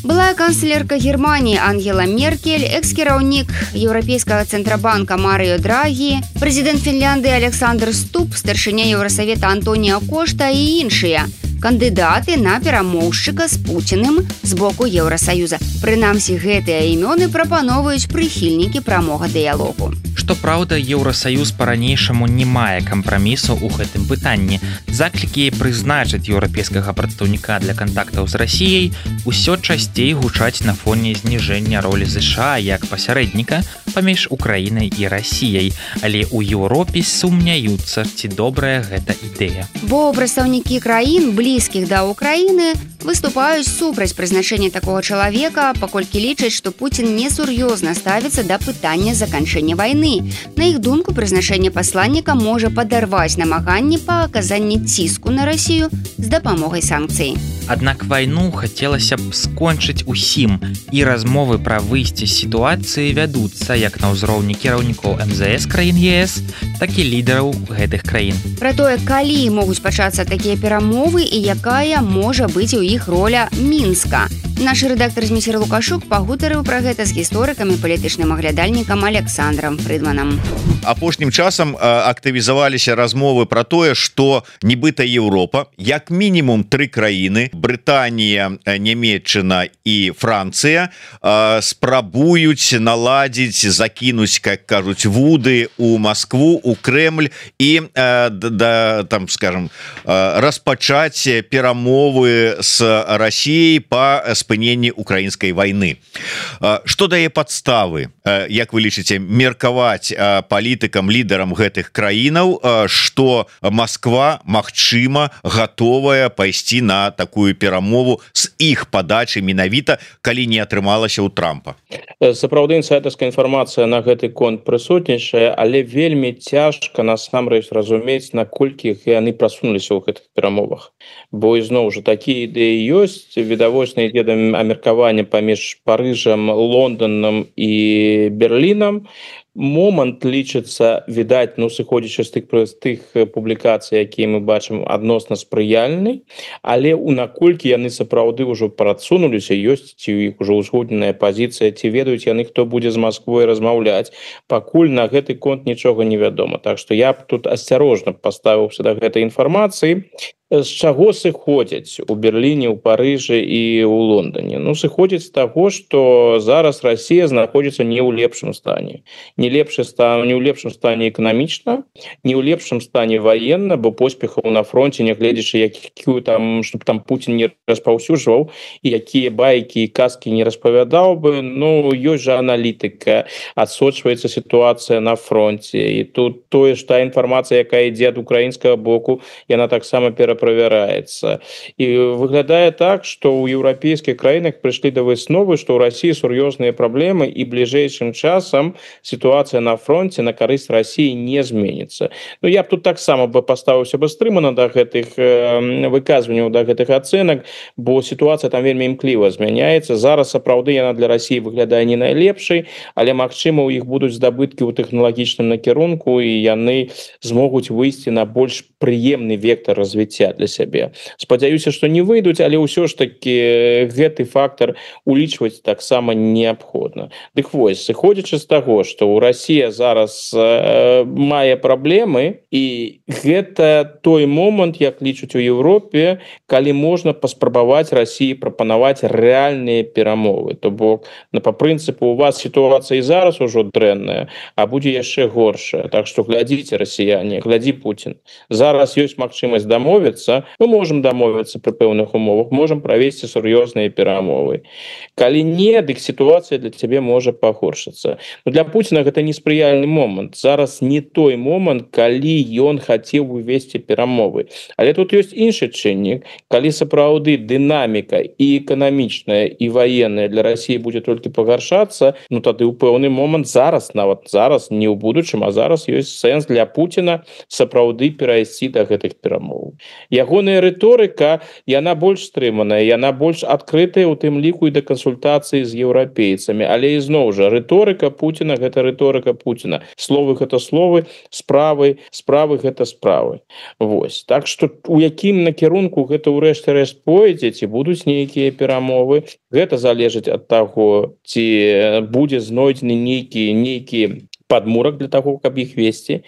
Былая канцлерка Германии Ангела Меркель, экс-кіраўнік Еўрапейскага цэнтрабанка Марыё Драгі, прэзідэнт Фінляндыі Александр Ступ, старшыня Еўрасавета Антоніо Кошта і іншыя кандыдаты на перамоўшчыка з Пуціным з боку Еўрасаюза. Прынамсі, гэтыя імёны прапановваюць прыхільнікі прамога дыялогу. Што праўда, Еўрасаюз па-ранейшаму не мае кампрамісаў у гэтым пытанні. Заклікі прызначыць еўрапейскага прадстаўніка для кантактаў з Расіяй усё часцей гучаць на фоне зніжэння ролі США як пасярэдніка паміж Украінай і Расіяй. Але ў Еўропе сумняюцца, ці добрая гэта ідэя. Бо прадстаўнікі краін, блізкіх да Украіны, выступаюць супраць прызначэння такога чалавека, паколькі лічаць, што Пуцін несур'ёзна ставіцца да пытання заканчэння вайны. На іх думку, прызначэнне пасланніка можа падарваць намаганні па аказанні ціску на Расію з дапамогай санкцый. Аднак вайну хацелася б скончыць усім, і размовы пра выйсце з сітуацыі вядуцца як на ўзроўні кіраўнікоў МЗС краін ЕС, так і лідараў гэтых краін. Пра тое, калі могуць пачацца такія перамовы і якая можа быць у іх роля Мінска. Наш рэдактар Зміцер Лукашук пагутарыў пра гэта з гісторыкам і палітычным аглядальнікам Александром Фрыдманам. Апошнім часам актывізаваліся размовы пра тое, што нібыта Еўропа, як мінімум 3 краіны, Брытанія, Нямецчына і Францыя, спрабуюць наладзіць, закінуць, как кажуць, вуды у Маскву, у Крэмль і там, скажем, распачаць перамовы з Расіяй па спыненні украінскай вайны. Што дае падставы, як вы лічыце, меркаваць палітыкам, лідарам гэтых краінаў, што Масква, магчыма, гатовая пайсці на такую перамову з іх падачы менавіта, калі не атрымалася ў Трампа? Сапраўды, інсайдэрская інфармацыя на гэты конт прысутнічае, але вельмі цяжка насамрэч разумець, наколькі яны прасунуліся ў гэтых перамовах. Бо ізноў жа такія ідэі ёсць, відавочна ідзе да меркавання паміж Парыжам, Лонданам і Берлінам. Момант лічыцца, відаць, сыходзячы з тых публікацый, якія мы бачым, адносна спрыяльны, але наколькі яны сапраўды ўжо прасунуліся, ёсць ці ў іх ужо ўзгодненая пазіцыя, ці ведаюць яны, хто будзе з Масквой размаўляць, пакуль на гэты конт нічога не вядома. Так што я б тут асцярожна паставіўся да гэтай інфармацыі. З чаго сыходзяць у Берліне, у Парыжы і ў Лондоне? Сыходзяць з таго, што зараз Расія знаходзіцца не ў лепшым стане. не ў лепшым стане эканамічна, не ў лепшым стане военно, бо поспехаў на фронте, нягледзячы якую там, чтобы там Путин не распаўсюджваў і якія байкі і казкі не распавядаў бы. Ну, ёсць жа аналітыка, адсочваецца сітуацыя на фронте, і тут тое ж та інфармацыя, якая ідзе ад украінскага боку, яна таксама пераправяраецца. І выглядае так, што ў еўрапейскіх краінах прыйшлі да высновы, што ў Расіі сур'ёзныя праблемы, і бліжэйшым часам сітуацыя на фронте на карысць Расіі не зменіцца. Ну, я б тут таксама бы паставіўся бы стрымана да гэтых выказванняў, да гэтых ацэнак, бо сітуацыя там вельмі імкліва змяняецца. Зараз сапраўды яна для Расіі выглядае не найлепшай, але магчыма, у іх будуць здабыткі ў тэхналагічным накірунку, і яны змогуць выйсці на больш прыемны вектор развіцця для сябе. Спадзяюся, што не выйдуць, але ўсё ж таки гэты фактор улічваць таксама неабходна. Дык вось, сыходзячы з таго, што ў Расія зараз мае праблемы, і гэта той момант, як лічуць у Еўропе, калі можна паспрабаваць Расіі прапанаваць рэальныя перамовы. То бок, па прынцыпу, у вас сітуацыя і зараз ужо дрэнная, а будзе яшчэ горшая. Так што глядзіце, расіяне, глядзі Путін. Зараз ёсць магчымасць дамовіцца, мы можам дамовіцца пры пэўных умовах, можам правесці сур'ёзныя перамовы. Калі не, дык сітуацыя для цябе можа пагоршыцца. Но для Путіна гэта неспрыяльны момант. Зараз не той момант, калі ён хацеў увесці перамовы. Але тут ёсць іншы чыннік, калі сапраўды дынаміка і эканамічная, і ваенная для Расіі будзе толькі пагаршацца, ну тады ў пэўны момант зараз, нават зараз, не ў будучым, а зараз ёсць сэнс для Путіна сапраўды перайсці да гэтых перамоў. Ягоная рыторыка, яна больш стрыманая, яна больш адкрытая, у тым ліку і да кансультацыі з еўрапейцамі. Але ізноў жа, рыторыка Путіна — гэта рыторыка Путіна. Словы — гэта словы, справы — гэта справы. Вось. Так што у якім накірунку гэта ўрэшце рэшт пойдзе, ці будуць нейкія перамовы, гэта залежыць ад таго, ці будзе знойдзены нейкі падмурак для таго, каб іх весці.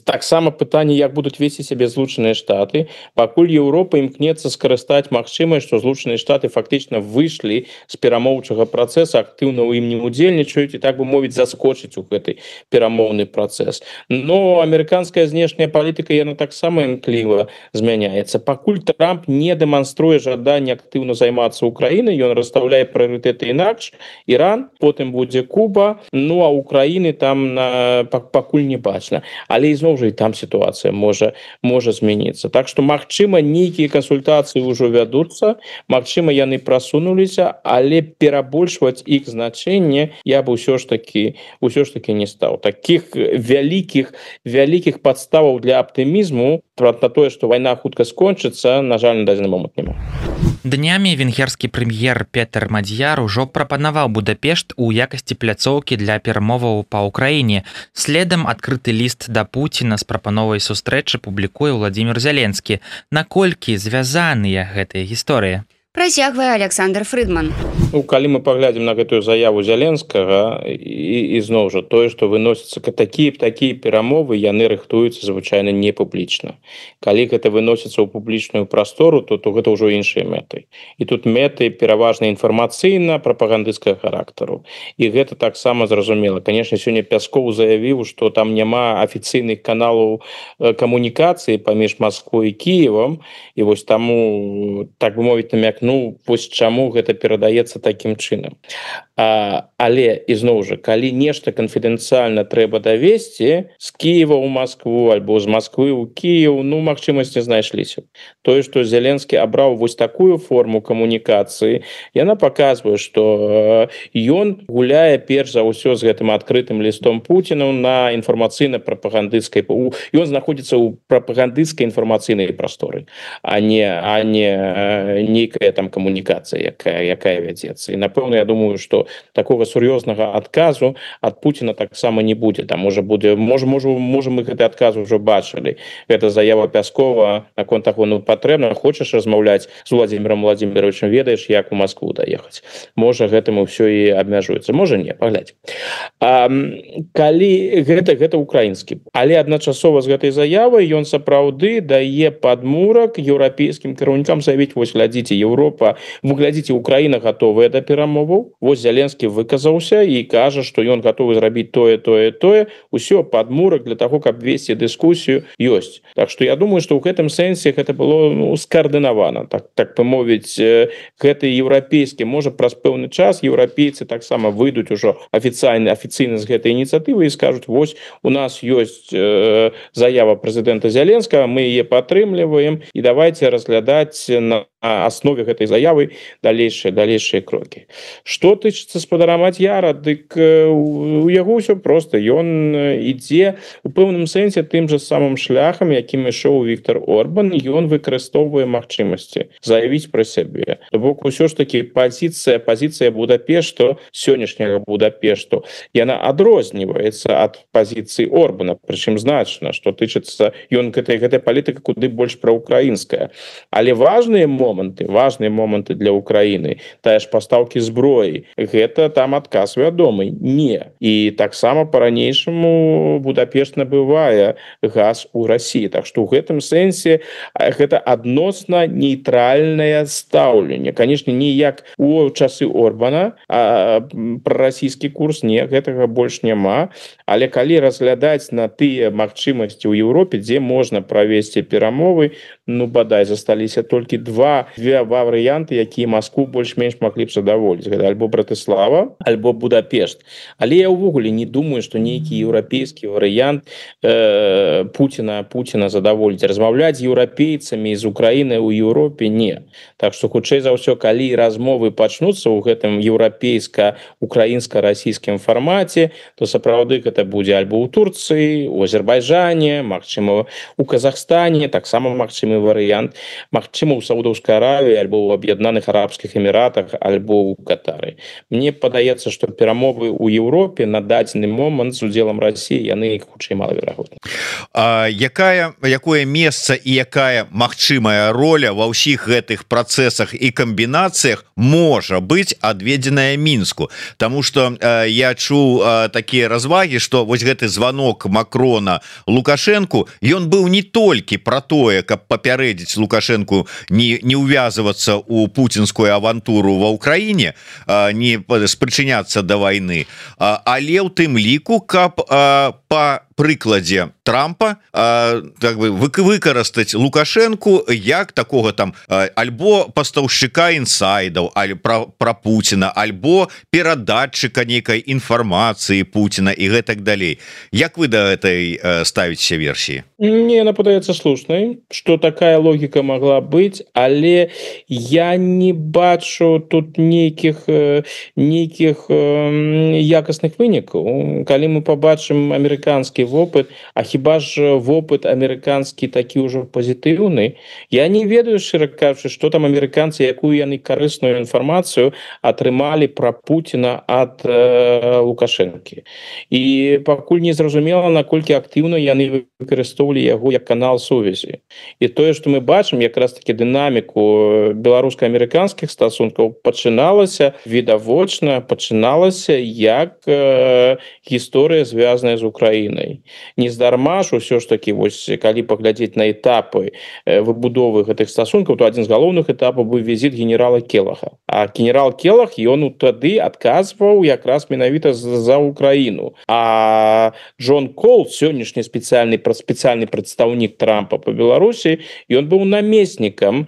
Таксама пытанне, як будуць весці сябе Злучаныя Штаты. Пакуль Еўропа імкнецца скарыстаць магчымасць, што Злучаныя Штаты фактычна выйшлі з перамоўчага працэса, актыўна ў ім не удзельнічаюць і, так бы мовіць, заскочыць у гэты перамоўны працэс. Но амерыканская знешняя палітыка, яна таксама імкліва змяняецца. Пакуль Трамп не дэманструе жаданне актыўна займацца Украінай, ён расстаўляе прыярытэты інакш. Іран, потым будзе Куба, ну а Украіны там пакуль не бачна. Але ізноў жа і там сітуацыя можа змяніцца. Так што, магчыма, нейкія кансультацыі ўжо вядуцца, магчыма, яны прасунуліся, але перабольшваць іх значэнне я бы ўсё ж таки не стаў. Такіх вялікіх падставаў для аптымізму на тое, што вайна хутка скончыцца, на жаль, на дадзены момант няма. Днямі венгерскі прэм'ер Петер Мадзьяр ужо прапанаваў Будапешт у якасці пляцоўкі для перамоваў па Ўкраіне. Следам адкрыты ліст да Пуціна з прапановай сустрэчы публікуе Владзімір Зяленскі. Наколькі звязаныя гэтыя гісторыі? Працягвае Александр Фрыдман. Ну, калі мы паглядзім на гэтую заяву Зяленскага, і зноў жа тое, што выносяцца такія перамовы, яны рыхтуюцца звычайна не публічна. Калі гэта выносіцца ў публічную прастору, то гэта ўжо іншыя мэты. І тут мэты пераважна інфармацыйна прапагандысцкага характару. І гэта таксама зразумела. Канешне, сёння Пяскоў заявіў, што там няма афіцыйных каналаў камунікацыі паміж Масквой і Кіевам, і вось таму, так бы мовіць, намякнуў, вось чаму гэта перадаецца такім чынам. Але, ізноў жа, калі нешта канфідэнцыяльна трэба давесці з Кіева ў Маскву альбо з Масквы ў Кіеў, ну, магчымасці знайшліся. Тое, што Зеленскі абраў вось такую форму камунікацыі, яна паказвае, што ён гуляе перш за ўсё з гэтым адкрытым лістом Пуціна на інфармацыйна-прапагандысцкай... Ён знаходзіцца ў прапагандысцкай інфармацыйнай прасторы, а не нейкая там камунікацыя, якая вядзецца. І, напэўна, я думаю, што такога сур'ёзнага адказу ад Пуціна таксама не будзе. Там можа мы гэты адказ ужо бачылі. Гэта заява Пяскова наконт таго, ну, патрэбна, хочаш размаўляць з Владзімірам Владзіміровичам, ведаеш, як у Маскву даехаць. Можа, гэтым ўсё і абмяжуецца. Можа, не, паглядзь. Калі гэта украінскі. Але адначасова з гэтай заявай ён сапраўды дае падмурак еўрапейскім кіраўнікам заявіць, вось, глядзіце, Еўропа Европа, вы глядзіце, Украіна готовая да перамоваў. Вось Зеленскі выказаўся і кажа, што ён готовы зрабіць тое, усё падмурак для того, каб весці дыскусію ёсць. Так што я думаю, што ў гэтым сэнсе гэта было скаардынавана, так памовіць, гэты еўрапейскі, можа праз пэўны час еўрапейцы таксама выйдуць ужо афіцыйна з гэтай ініцыятывы і скажуць, вось у нас ёсць заява прэзідэнта Зеленскага, мы яе падтрымліваем і давайте разглядаць на аснове гэтай заявы далейшыя крокі. Што тычыцца спадара Мадзяра, дык у яго ўсё проста, ён ідзе у пэўным сэнсе тым жа самым шляхам, якім ішоў Віктор Орбан, ён выкарыстоўвае магчымасці заявіць пра сябе. То бок усё ж такі пазіцыя Будапешту, сённяшняга Будапешту, яна адрозніваецца ад пазіцыі Орбана, прычым значна, што тычыцца ён гэтай палітыка куды больш праўкраінская. Але важныя моманты для Украіны, тая ж пастаўкі зброі, гэта там адказ вядомы, не. І таксама па-ранейшаму Будапешт набывае газ у Расіі. Так што ў гэтым сэнсе гэта адносна нейтральнае стаўленне. Канешне, не як у часы Орбана, а прарасійскі курс, не, гэтага больш няма. Але калі разглядаць на тыя магчымасці ў Еўропе, дзе можна правесці перамовы, бадай засталіся толькі два варыянты, якія Маскву больш-менш маглі б задаволіць. Гэта альбо Братыслава, альбо Будапешт. Але я ўвогуле не думаю, што нейкі еўрапейскі варыянт Пуціна задаволіць. Размаўляць з еўрапейцамі з Украінай у Еўропе не. Так што хутчэй за ўсё, калі размовы пачнуцца ў гэтым еўрапейска-украінска-расійскім фармаце, то сапраўды гэта будзе альбо ў Турцыі, у Азербайджане, магчыма у Казахстане, таксама магчымы варыянт, магчыма ў Саудаўскай Аравіі, альбо ў Аб'яднаных Арабскіх Эміратах, альбо ў Катары. Мне падаецца, што перамовы ў Еўропе на дадзены момант з удзелам Расіі яны хутчэй малаверагодны. Якое месца і якая магчымая роля ва ўсіх гэтых працэсах і камбінацыях можа быць адведзеная Мінску? Таму што я чуў такія развагі, што вось гэты званок Макрона Лукашэнку, ён быў не толькі пра тое, каб папярэдзіць Лукашэнку не увязывацца ў пуцінскую авантуру ва Ўкраіне, не спрычыняцца да вайны, але ў тым ліку, каб па прыкладзе Трампа выкарыстаць Лукашэнку як такога там альбо пастаўшчыка інсайдаў, пра Пуціна, альбо перадатчыка нейкай інфармацыі Пуціна і гэтак далей. Як вы да гэтай ставіце версіі? Мне она падаецца слушнай, што такая логіка могла быць, але я не бачу тут нейкіх якасных вынікаў. Калі мы побачым амерыканскі вопыт, а хіба ж вопыт амерыканскі такі ўжо пазітыўны, я не ведаю, шчыра кажучы, што там амерыканцы, якую яны карысную інфармацыю атрымалі пра Пуціна ад Лукашэнкі. І пакуль не зразумела, наколькі актыўна яны выкарыстоўвалі яго як канал сувязі. І тое, што мы бачым, якраз таки дынаміку беларуска-амерыканскіх стасункаў пачыналася відавочна, як гісторыя звязаная з Украінай. Нездарма ж усё ж таки, вось калі паглядзець на этапы выбудовы гэтых стасункаў, то адзін з галоўных этапаў быў візіт генерала Келаха. А генерал Келах, ён тады адказваў якраз менавіта за Украіну. А Джон Кол, сённяшні спецыяльны прадстаўнік Трампа па Беларусі, ён быў намеснікам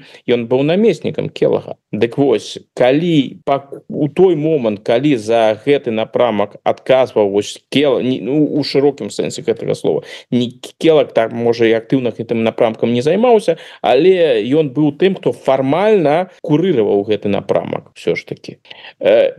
Келаха. Дык вось, калі у той момант, калі за гэты напрамак адказваў Келах, у шырокім сэнсе гэтага слова, не Келах так, можа, і актыўна гэтым напрамкам не займаўся, але ён быў тым, хто фармальна курыраваў гэты напрамак все ж таки.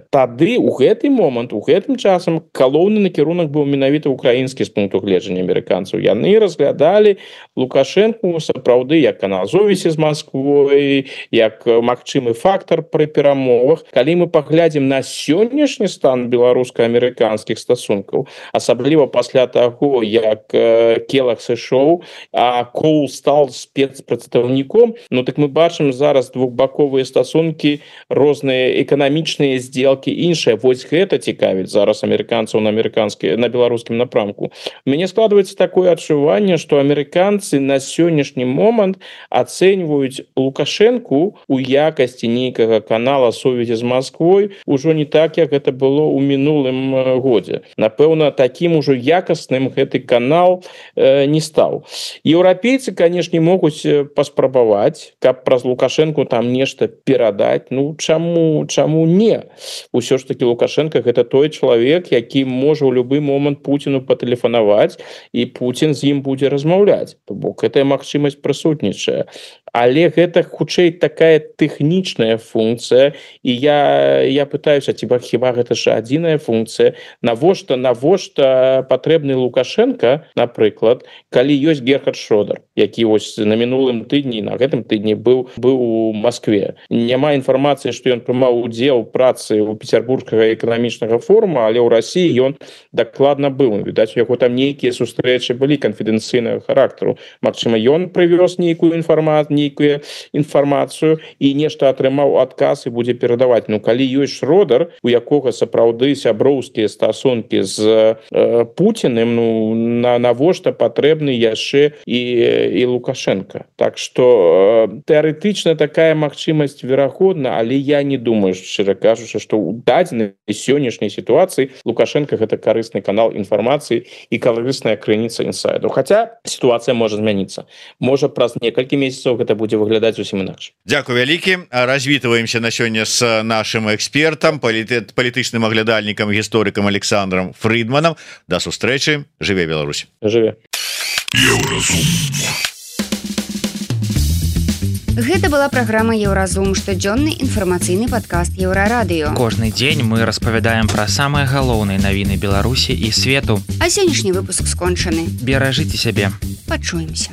Тады у гэты момант, у гэтым часам галоўны накірунак быў менавіта украінскі з пункту гледжання амерыканцаў. Яны разглядалі Лукашэнку сапраўды як канал сувязі з Масквой, як магчымы фактор пры перамовах. Калі мы паглядзім на сённяшні стан беларуска-амерыканскіх стасункаў, асабліва пасля таго, таго як Келах сышоў, а Коул стал спецпрадстаўніком, ну так мы бачым зараз двухбаковыя стасункі, розныя эканамічныя сделкі, іншыя. Вось гэта цікавіць зараз амерыканцаў на беларускім напрамку. У мяне складваецца такое адчуванне, што амерыканцы на сённяшні момант ацэньваюць Лукашэнку у якасці нейкага канала сувязі з Масквой ужо не так, як гэта было ў мінулым годзе. Напэўна, такім ужо якасным гэты канал не стаў. Еўрапейцы, канешне, могуць паспрабаваць, каб праз Лукашэнку там нешта перадаць. Ну, чаму не? Усё ж таки Лукашенко гэта той чалавек, які можа ў любы момант Пуціну патэлефанаваць, і Пуцін з ім будзе размаўляць. То бок гэтая магчымасць прысутнічае. Але гэта хутчэй такая тэхнічная функцыя, і я пытаюся, хіба гэта ж адзіная функцыя? Навошта патрэбны Лукашенко, напрыклад, калі ёсць Герхард Шрёдер, які вось на мінулым тыдні, на гэтым тыдні быў у Маскве. Няма інфармацыі, што ён прымаў удзел у працы ў Петербургскага эканамічнага форума, але ў Расіі ён дакладна быў. Відаць, у яго там нейкія сустрэчы былі канфідэнцыйнага характару. Магчыма, ён прывёз нейкую інфармацыю і нешта атрымаў адказ і будзе перадаваць. Ну, калі ёсць Шрёдер, у якога сапраўды сяброўскія стасункі з Пуціным, ну, навошта патрэбны яшчэ і Лукашенко. Так што тэарэтычна такая магчымасць верагодна, але я не думаю, шчыра кажучы, што ў дадзенай сённяшняй сітуацыі Лукашенко гэта карысны канал інфармацыі і карысная крыніца інсайду. Хаця сітуацыя можа змяніцца. Можа, праз некалькі месяцаў гэта будзе выглядаць зусім інакш. Дзякуй вялікі. Развітваемся на сёння з нашим экспертам, палітычным аглядальнікам, гісторыкам Александром Фридманам. Да сустрэчы. Жыве Беларусь. Жыве. Гэта была праграма Еўразум, штодзённы інфармацыйны падкаст Еўрарадыё. Кожны дзень мы распавядаем пра самыя галоўныя навіны Беларусі і свету. А сённяшні выпуск скончаны. Беражыце сябе. Пачуемся.